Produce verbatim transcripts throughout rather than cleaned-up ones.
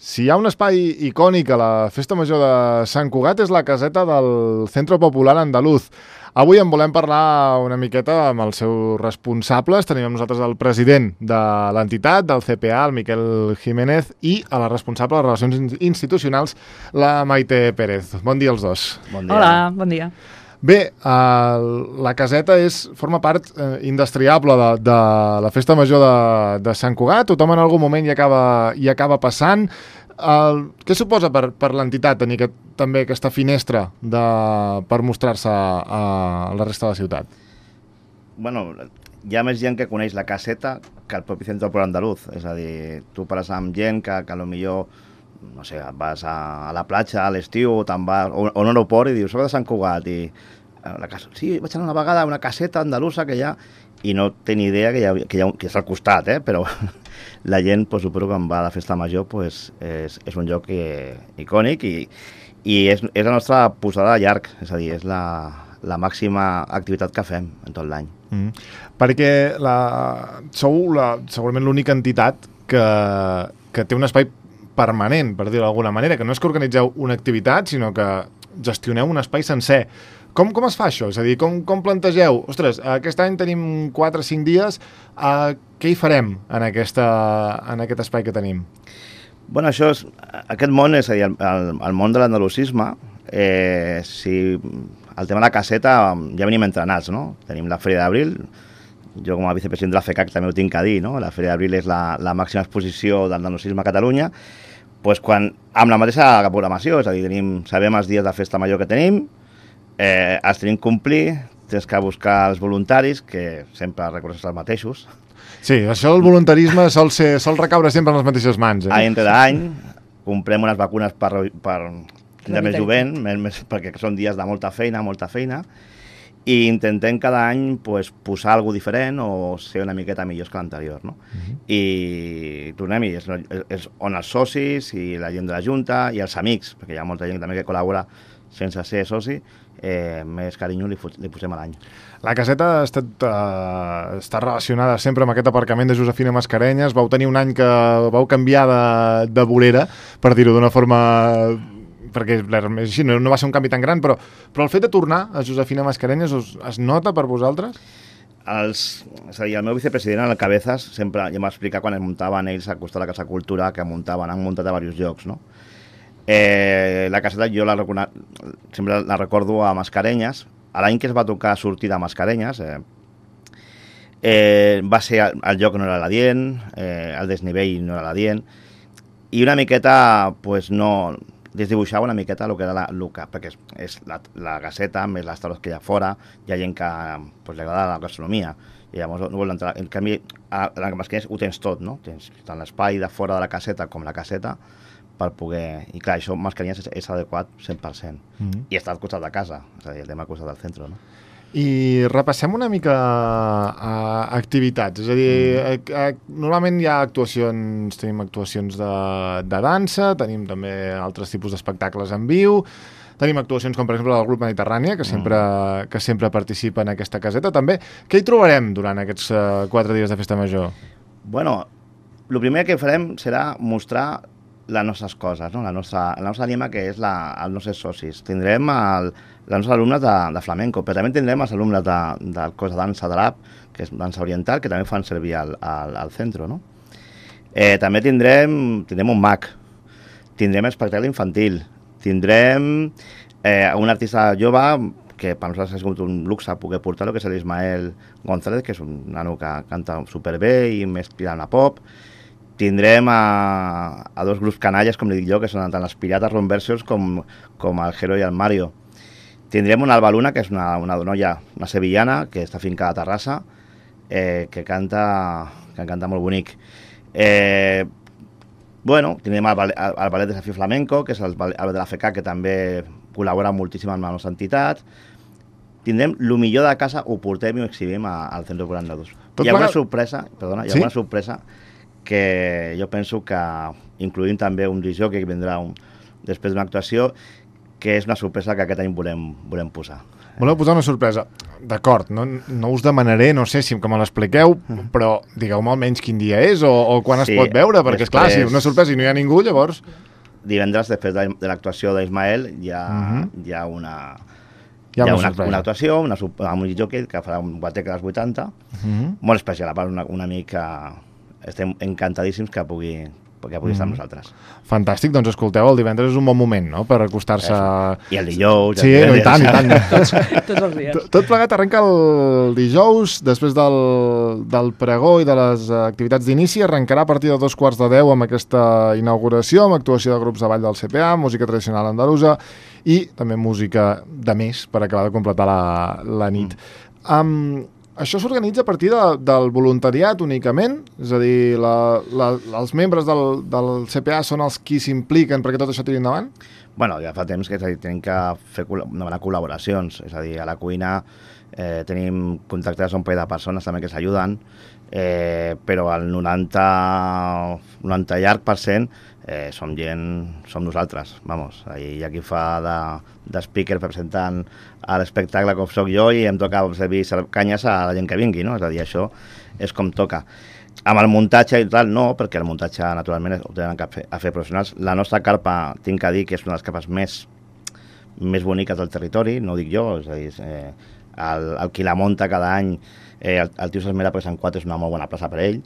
Si hi ha un espai icònic a la Festa Major de Sant Cugat és la caseta del Centro Popular Andaluz. Avui en volem parlar una miqueta amb els seus responsables. Tenim amb nosaltres el president de l'entitat, del C P A, el Miquel Jiménez, i a la responsable de Relacions Institucionals, la Maite Pérez. Bon dia als dos. Bon dia. Hola, bon dia. Bé, eh, la caseta és, forma part eh, indestriable de, de la Festa Major de, de Sant Cugat. Tothom en algun moment hi acaba, hi acaba passant. El, què suposa per, per l'entitat tenir aquest, també aquesta finestra de, per mostrar-se a, a la resta de la ciutat? Bueno, hi ha més gent que coneix la caseta que el propi Centro Popular Andaluz. És a dir, tu parles amb gent que, que potser, no sé, vas a, a la platja a l'estiu o te'n vas o, o a un aeroport i dius, soc de Sant Cugat i la casa, sí, vaig anar una vegada a una caseta andalusa que hi ha i no té ni idea que, hi ha, que, hi ha, que és al costat, eh? Però la gent, pues, suposo que quan va a la festa major, pues, és, és un lloc que, icònic i, i és, és la nostra posada de llarg, és a dir, és la, la màxima activitat que fem en tot l'any. Mm. Perquè la, sou la, segurament l'única entitat que, que té un espai permanent, per dir-ho d'alguna manera, que no és que organitzeu una activitat, sinó que gestioneu un espai sencer. Com, com es fa això? És a dir, com, com plantegeu? Ostres, aquest any tenim quatre o cinc dies, uh, què hi farem en, aquesta, en aquest espai que tenim? Bueno, això és, aquest món, és a dir, el, el, el món de l'andalusisme, eh, si el tema de la caseta ja venim entrenats, no? Tenim la Fèria d'Abril, jo com a vicepresident de la F E C A C també ho tinc a dir, no? La Fèria d'Abril és la, la màxima exposició del andalusisme a Catalunya, pues quan, amb la mateixa programació, és a dir, tenim, sabem els dies de festa major que tenim, Eh, els tenim que complir, tens que buscar els voluntaris, que sempre recordes els mateixos. Sí, això del voluntarisme sol, ser, sol recaure sempre en les mateixes mans. Eh? Any entre any, comprem unes vacunes per, per tindre més jovent, més, més, perquè són dies de molta feina, molta feina, i intentem cada any, pues, posar alguna diferent o ser una miqueta millors que l'anterior, no? Uh-huh. I tornem-hi, és, és, és on els socis i la gent de la Junta i els amics, perquè hi ha molta gent també que col·labora sense ser soci, eh, més carinyo li, li posem a l'any. La caseta ha estat, uh, està relacionada sempre amb aquest aparcament de Josefina Mascarenyes. Vau tenir un any que vau canviar de, de vorera, per dir-ho d'una forma, perquè així, no, no va ser un canvi tan gran, però, però el fet de tornar a Josefina Mascarenyes es, es nota per vosaltres? Els, és a dir, el meu vicepresident, el Cabezas, sempre ja m'explica quan es muntaven ells a costar la Casa Cultura, que muntaven, han muntat a diversos llocs, no? Eh, la caseta jo la, sempre la recordo a Mascarenyes. A l'any que es va tocar sortir de Mascarenyes, eh, eh, va ser el, el lloc no era l'adient, eh, el desnivell no era l'adient, i una miqueta, pues no, desdibuixava una miqueta el que era la, el que, perquè és, és la, la caseta, més les taules que hi ha fora, hi ha gent que pues, li agrada la gastronomia, i llavors no vol entrar. En canvi, a la Mascarenyes ho tens tot, no? Tens tant l'espai de fora de la caseta com la caseta, per poder... I clar, això Mascarenyes és, és adequat cent per cent. Mm-hmm. I està al costat de casa, és a dir, el tema al costat del centre, no? I repassem una mica a activitats, és a dir, mm. a, a, normalment hi ha actuacions, tenim actuacions de, de dansa, tenim també altres tipus d'espectacles en viu, tenim actuacions com per exemple del grup Mediterrània, que sempre, mm. que sempre participa en aquesta caseta també. Què hi trobarem durant aquests uh, quatre dies de festa major? Bueno, el primer que farem serà mostrar les nostres coses, no? la, nostra, la nostra ànima, que és la, els nostres socis. Tindrem el, els nostres alumnes de, de flamenco, però també tindrem els alumnes de, del cos de dansa de l'A P, que és dansa oriental, que també fan servir al, al, al centre, no? Eh, també tindrem, tindrem un mag, tindrem espectacle infantil, tindrem eh, un artista jove que per nosaltres ha sigut un luxe poder portar-lo, que és l'Ismael González, que és un nano que canta superbé i més tirant a pop. Tindrem a, a dos grups canalles, com li dic jo, que són tant els Pirates Ronversions com, com el Jero i el Mario. Tindrem una Alba Luna, que és una, una noia, una sevillana, que està fincada a Terrassa, eh, que, canta, que canta molt bonic. Eh, bueno, tindrem el, el, el Ballet Desafí Flamenco, que és el, el de la F E C A C, que també col·labora moltíssim amb la nostra entitat. Tindrem el millor de casa, ho portem i ho exhibim a, al Centre Popular Andaluz. Hi ha una sorpresa, perdona, hi ha una sorpresa que jo penso que incluïm també un disc jockey que vindrà un, després d'una actuació, que és una sorpresa que aquest any volem, volem posar. Voleu posar una sorpresa? D'acord, no, no us demanaré, no sé si que me l'expliqueu, però digueu-me almenys quin dia és o, o quan Sí, es pot veure, perquè després- esclar, si una sorpresa i no hi ha ningú, llavors... Divendres, després de, de l'actuació d'Ismael, hi ha, Mhm. hi ha una... Hi ha una una, sorpresa. una actuació una, sup- amb un jockey que farà un guateca dels vuitanta, Mhm. molt especial, a part una, un amic que estem encantadíssims que pugui, que pugui estar amb nosaltres. Fantàstic, doncs escolteu, el divendres és un bon moment, no?, per acostar-se... I el dijous... Sí, el no, i tant, i tant. Tots, tots els dies. Tot- Tot plegat arrenca el dijous, després del, del pregó i de les eh, activitats d'inici. Arrencarà a partir de dos quarts de deu amb aquesta inauguració, amb actuació de grups de ball del C P A, música tradicional andalusa i també música de més per acabar de completar la, la nit. Mm. Um, això s'organitza a partir de, del voluntariat únicament? És a dir, la, la, els membres del, del C P A són els qui s'impliquen perquè tot això tiri endavant? Bueno, ja fa temps que és a dir, tenim que fer col- demanar col·laboracions, és a dir, a la cuina eh, tenim contactes a un parell de persones també que s'ajuden, eh, però el noranta, noranta llarg per cent eh, som gent, som nosaltres, vamos, hi ha qui fa de, de speaker presentant a l'espectacle com soc jo i em toca servir ser- canyes a la gent que vingui, no? És a dir, això és com toca. Amb el muntatge i tal, no, perquè el muntatge, naturalment, ho tenen que fer, a fer professionals. La nostra carpa, tinc que dir que és una de les carpes més, més boniques del territori, no ho dic jo, és a dir, eh, el, el qui la munta cada any, eh, el, el tio s'esmera perquè Sant Quat és una molt bona plaça per ell,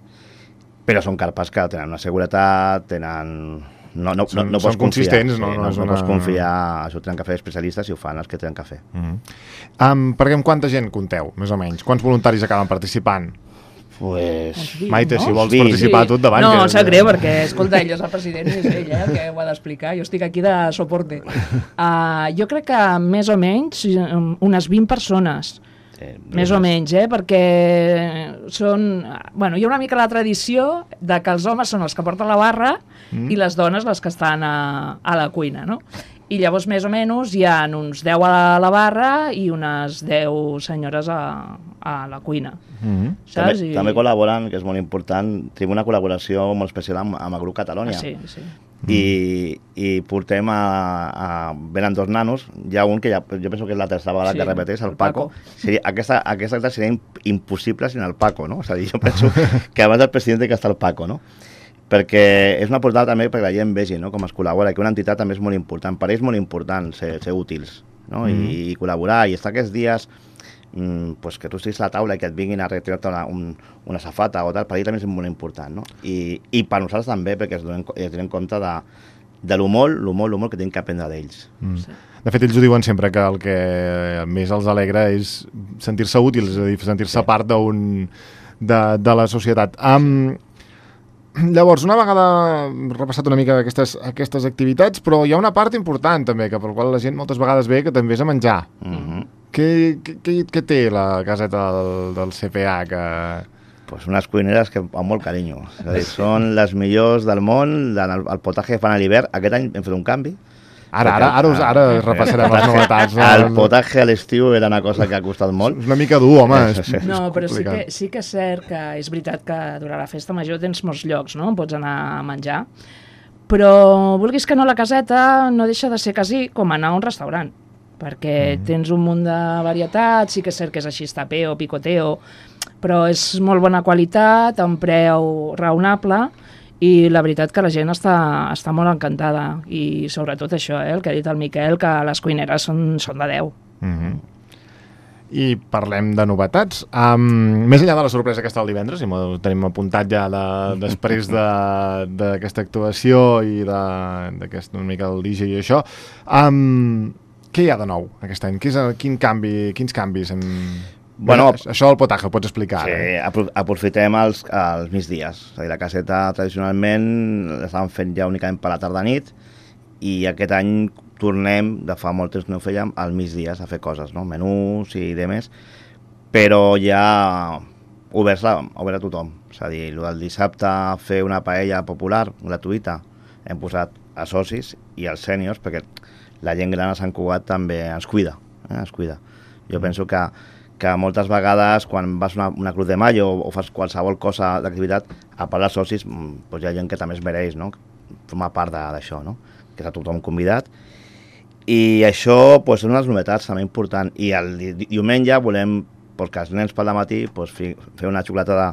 però són carpes que tenen una seguretat, tenen... No, no, Són- no, no són pots confiar, consistents, no- sí, no no, és no una- pots confiar, això ho tenen que fer especialistes i ho fan els que tenen que fer. Mm -hmm. um, perquè amb quanta gent compteu, més o menys? Quants voluntaris acaben participant? Pues... Maite, no? si vols Sí. participar tu davant. No, que... em sap greu, perquè, escolta, ell és el president i és ell eh, el que ho ha d'explicar. Jo estic aquí de soporte. Uh, jo crec que més o menys um, unes vint persones, Sí, més o menys, eh? Perquè són... Bueno, hi ha una mica la tradició de que els homes són els que porten la barra mm. i les dones les que estan a, a la cuina, no? I llavors, més o menys, hi ha uns deu a la barra i unes deu senyores a, a la cuina. Mm -hmm. Saps? També, també col·laboren, que és molt important, tenim una col·laboració molt especial amb, amb el grup Catalunya. Ah, sí, sí. I, i portem a, a... Venen dos nanos, hi ha un que ja, jo penso que és la tercera vegada Sí, que repeteix, el el Paco. Paco. Seria, aquesta, aquesta acte seria imp- impossible sin el Paco, no? És a dir, jo penso que abans del president que està el Paco, no? Perquè és una portada també perquè la gent vegi, no?, com es col·labora, que una entitat també és molt important. Per ells és molt important ser, ser útils, no? Mm. I, I col·laborar, i estar aquests dies mm, pues que tu estiguis a la taula i que et vinguin a retirar-te una, un, una safata o tal, per ells també és molt important, no? I, i per nosaltres també, perquè es donen, es donen compte de, de lo molt, lo molt, lo molt que tenim que aprendre d'ells. Mm. Sí. De fet, ells ho diuen sempre, que el que més els alegra és sentir-se útils, és a dir, sentir-se sí. part d'un de, de la societat. Um, llavors, una vegada repassat una mica aquestes, aquestes activitats, però hi ha una part important també, que per la qual la gent moltes vegades ve, que també és a menjar. Mm -hmm. Què, què, què té la caseta del, del C P A? Que... Pues unes cuineres que amb molt carinyo. És a dir, són les millors del món, el, el potatge que fan a l'hivern. Aquest any hem fet un canvi. Ara, ara, ara, us, ara repassarem les novetats. El potatge a l'estiu era una cosa que ha costat molt. És una mica dur, home. Sí, sí. És, No, és però sí complicat. que, sí que és cert que és veritat que durant la festa major tens molts llocs, no?, on pots anar a menjar, però vulguis que no, la caseta no deixa de ser quasi com anar a un restaurant, perquè mm. tens un munt de varietats, sí que és cert que és així, tapeo, picoteo, però és molt bona qualitat, a un preu raonable, i la veritat que la gent està, està molt encantada, i sobretot això, eh, el que ha dit el Miquel, que les cuineres són, són de deu. Mm -hmm. I parlem de novetats. Um, més enllà de la sorpresa que està el divendres, i ho tenim apuntat ja de, després d'aquesta de, actuació i d'aquest una mica el D J i això, um, què hi ha de nou aquest any? Quin, és, quin canvi, quins canvis hem... Bueno, això del potatge ho pots explicar. Sí, eh? apro aprofitem els, els migdies. És a dir, la caseta tradicionalment l'estàvem fent ja únicament per la tarda-nit, i aquest any tornem, de fa molt temps que no ho fèiem, als migdies a fer coses, no? Menús i demés, però ja oberts a, obert a tothom. És a dir, el del dissabte fer una paella popular, gratuïta, hem posat a socis i als sèniors, perquè la gent gran a Sant Cugat també ens cuida, eh? ens cuida. Jo penso que que moltes vegades quan vas a una, una Cruz de Mayo o, o fas qualsevol cosa d'activitat, a part dels socis, doncs hi ha gent que també es mereix, no?, formar part d'això, no?, que està tothom convidat. I això pues, és una de les novetats també important. I el di diumenge volem, perquè els nens pel matí, pues, fi, fer una xocolatada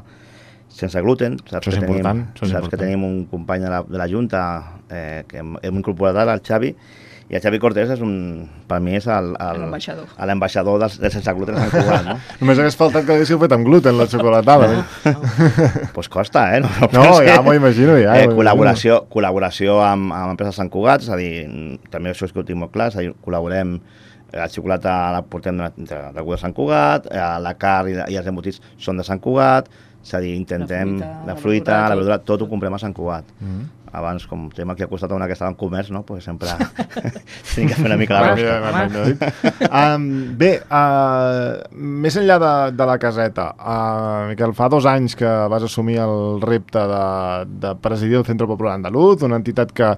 sense gluten. Saps, això és que, tenim, important, això és saps important. que tenim un company de la, de la Junta eh, que hem, hem incorporat ara, el Xavi, i el Xavi Cortés és un, per mi és l'ambaixador del, del sense gluten a Sant Cugat, no? Només hagués faltat que l'haguéssiu fet amb gluten, la xocolatada. No, no. Pues costa, eh? No, no, no ja m'ho imagino, ja. Eh, col·laboració, col·laboració amb, amb empreses Sant Cugat, és a dir, també això és que ho tinc molt clar, és a dir, col·laborem, la xocolata la portem de, de, de Sant Cugat, la carn i, i els embotits són de Sant Cugat, és a dir, intentem, la fruita, la, fruita, la verdura, tot ho comprem a Sant Cugat. Mm -hmm. Abans, com tema que ha costat una que estava en comerç, no? Pues sempre tenim que fer una mica la rosca. um, bé, uh, més enllà de, de la caseta, uh, Miquel, fa dos anys que vas assumir el repte de, de presidir el Centro Popular Andaluz, una entitat que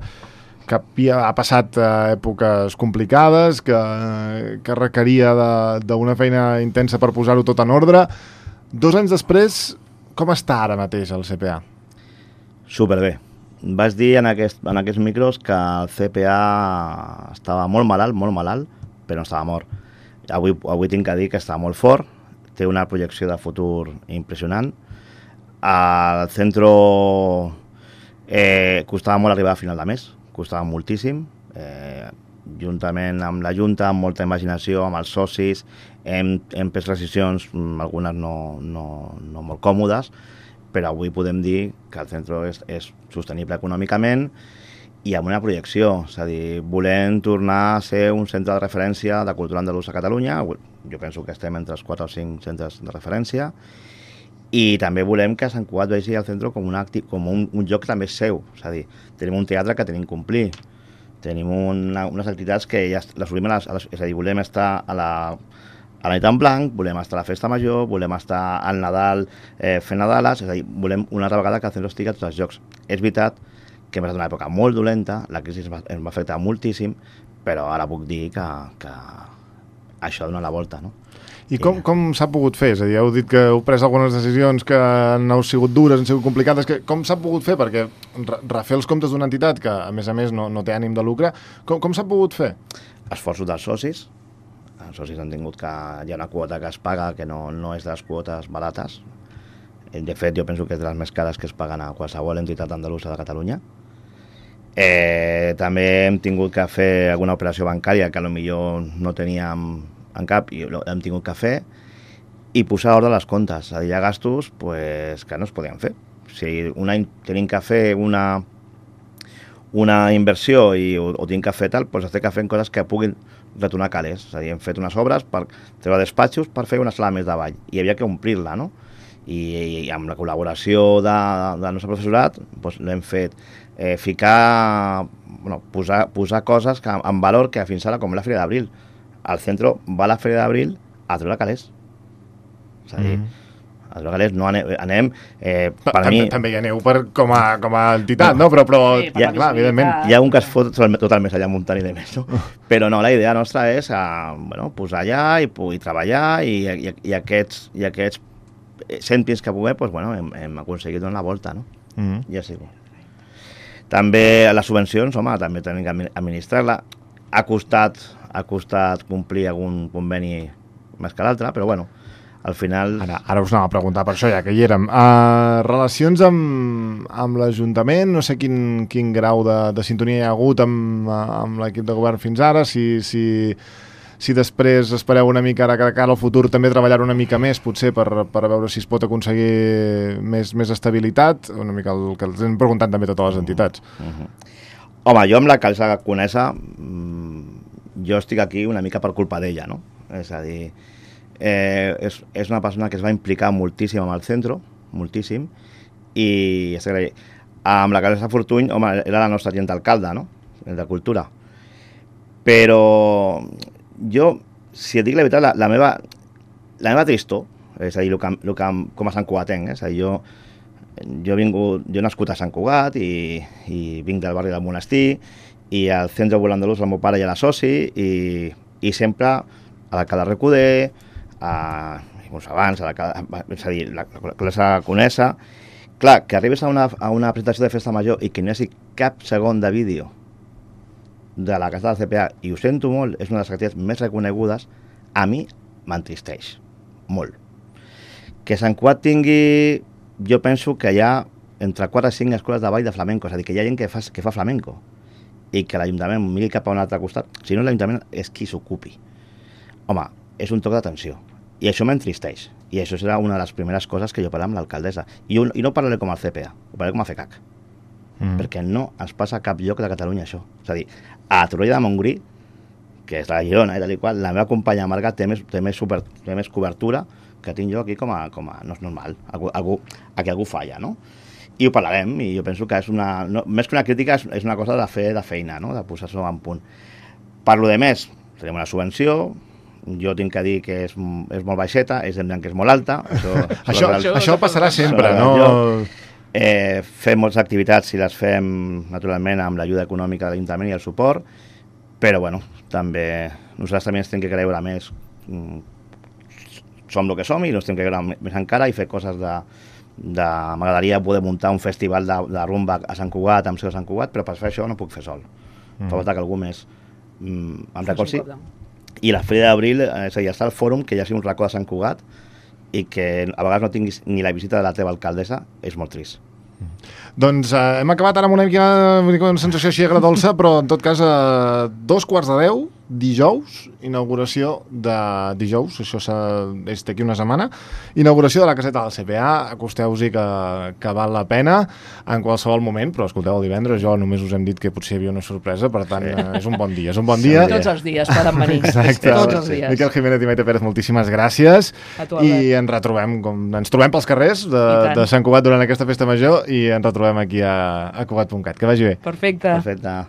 que ha passat uh, èpoques complicades, que, que requeria d'una feina intensa per posar-ho tot en ordre. Dos anys després, com està ara mateix el C P A? Superbé. Vaig dir en, aquest, en aquests micros que el C P A estava molt malalt, molt malalt, però no estava mort. Avui, avui tinc que dir que està molt fort, té una projecció de futur impressionant. Al centre eh, costava molt arribar a final de mes, costava moltíssim, eh, juntament amb la Junta, amb molta imaginació, amb els socis, hem, hem pres decisions, algunes no, no, no molt còmodes, però avui podem dir que el centre és, és sostenible econòmicament i amb una projecció, és a dir, volem tornar a ser un centre de referència de cultura andalusa a Catalunya, jo penso que estem entre els quatre o cinc centres de referència, i també volem que Sant Cugat vegi el centre com, una acti com un, un lloc també seu, és a dir, tenim un teatre que tenim que complir, tenim una, unes activitats que ja les volem, a les, a les, és a dir, volem estar a la a la nit en blanc, volem estar a la festa major, volem estar al Nadal eh, fent Nadales, és a dir, volem una altra vegada que el centre estigui a tots els jocs. És veritat que hem estat en una època molt dolenta, la crisi ens va, ens va afectar moltíssim, però ara puc dir que, que això dona la volta, no? I com, com s'ha pogut fer? És a dir, heu dit que heu pres algunes decisions que han sigut dures, han sigut complicades, que com s'ha pogut fer? Perquè refer els comptes d'una entitat que, a més a més, no, no té ànim de lucre, com, com s'ha pogut fer? Esforços dels socis. Els socis han tingut que hi ha una quota que es paga que no, no és de les quotes barates. De fet, jo penso que és de les més cares que es paguen a qualsevol entitat andalusa de Catalunya. Eh, també hem tingut que fer alguna operació bancària que potser no teníem en cap i hem tingut que fer i posar ordre a les comptes. Hi ha gastos pues, que no es podien fer. Si un any tenim que fer una, una inversió i o, o tenim que fer tal, doncs has de fer coses que puguin retornar calés. És a dir, hem fet unes obres per treure despatxos per fer una sala més de ball i havia que omplir-la, no? I, i amb la col·laboració de, del nostre professorat doncs l'hem fet eh, ficar, bueno, posar, posar coses que, en valor que fins ara, com la Fira d'Abril, al centre va a la Fira d'Abril a treure calés. És a dir, mm. a treure calés no anem... anem eh, per també, mi... també hi aneu per, com, a, com a entitat, no? Però, però sí, ja, clar, evidentment. Hi ha un que es fot tot el més allà muntant i de més, no? Però no, la idea nostra és a, bueno, posar allà i, i treballar i, i, i aquests, i aquests cèntims que puguem, doncs, bueno, hem, hem aconseguit donar la volta, no? Mm. Ja sí. També les subvencions, home, també tenim que administrar-la. Ha costat, ha costat complir algun conveni més que l'altre, però bueno, al final... Ara, ara us anava a preguntar per això, ja que hi érem. Uh, relacions amb, amb l'Ajuntament, no sé quin, quin grau de, de sintonia hi ha hagut amb, amb l'equip de govern fins ara, si, si, si després espereu una mica ara que cara al futur també treballar una mica més, potser per, per veure si es pot aconseguir més, més estabilitat, una mica el que els hem preguntat també a totes les entitats. Uh -huh. Home, jo amb la Calça Conesa, jo estic aquí una mica per culpa d'ella, no? És a dir, eh, és, és una persona que es va implicar moltíssim amb el centre, moltíssim, i amb la Calça Fortuny, home, era la nostra agent alcalde, no? El de Cultura. Però jo, si et dic la veritat, la, la meva la meva tristor, és a dir, el que, el que, com a Sant Cugatenc, eh? És a dir, jo Jo he, vingut, jo he nascut a Sant Cugat i, i vinc del barri del Monestir i al centre Popular Andalús el meu pare ja era soci i, i sempre a l'alcalde Recoder, a, abans, a la, és a dir, la, la classe Conesa, clar, que arribes a una, a una presentació de festa major i que no hi hagi cap segon de vídeo de la casa del C P A, i ho sento molt, és una de les activitats més reconegudes, a mi m'entristeix molt. Que Sant Cugat tingui, jo penso que hi ha entre quatre i cinc escoles de ball de flamenco, és a dir, que hi ha gent que fa, que fa flamenco, i que l'Ajuntament miri cap a un altre costat, si no l'Ajuntament és qui s'ocupi. Home, és un toc d'atenció, i això m'entristeix, i això serà una de les primeres coses que jo parlaré amb l'alcaldessa, I, I no parlaré com el C P A, ho parlaré com a F E C A C, mm. perquè no es passa a cap lloc de Catalunya això. És a dir, a Torroella de Montgrí, que és la Girona i tal i qual, la meva companya Marga té més, té més, super, té més cobertura que tinc jo aquí com a, com a no és normal, algú, algú, aquí algú falla, no? I ho parlarem, i jo penso que és una, no, més que una crítica, és, és una cosa de fer de feina, no? De posar-se en punt. Per lo de més, tenim una subvenció, jo tinc que dir que és, és molt baixeta, és evident que és molt alta. Això, això, això, això passarà sempre, no? Eh, fem moltes activitats i les fem, naturalment, amb l'ajuda econòmica de l'Ajuntament i el suport, però, bueno, també nosaltres també ens hem que creure més. Som el que som i ens hem que creure més encara i fer coses de... de m'agradaria poder muntar un festival de, de rumba a Sant Cugat, amb seu a Sant Cugat, però per fer això no puc fer sol. Mm. Fa falta que algú més mm, em recolzi. I la Fira d'Abril, és a dir, està el fòrum, que ja sigui un racó de Sant Cugat, i que a vegades no tinguis ni la visita de la teva alcaldessa, és molt trist. Mm. Doncs eh, hem acabat ara amb una mica, una sensació així agradolça, però en tot cas a eh, dos quarts de deu, dijous, inauguració de dijous, això és d'aquí una setmana, inauguració de la caseta del C P A, acosteu-hi que, que val la pena en qualsevol moment, però escolteu, el divendres jo només us hem dit que potser hi havia una sorpresa, per tant, sí. és un bon dia, és un bon dia. Tots els dies poden venir. Exacte. Tots els dies. Miquel Jiménez i Maite Pérez, moltíssimes gràcies. A tu, i ens retrobem, com, ens trobem pels carrers de, de Sant Cugat durant aquesta festa major i ens retrobem aquí a, a Cugat punt cat. Que vagi bé. Perfecte. Perfecte.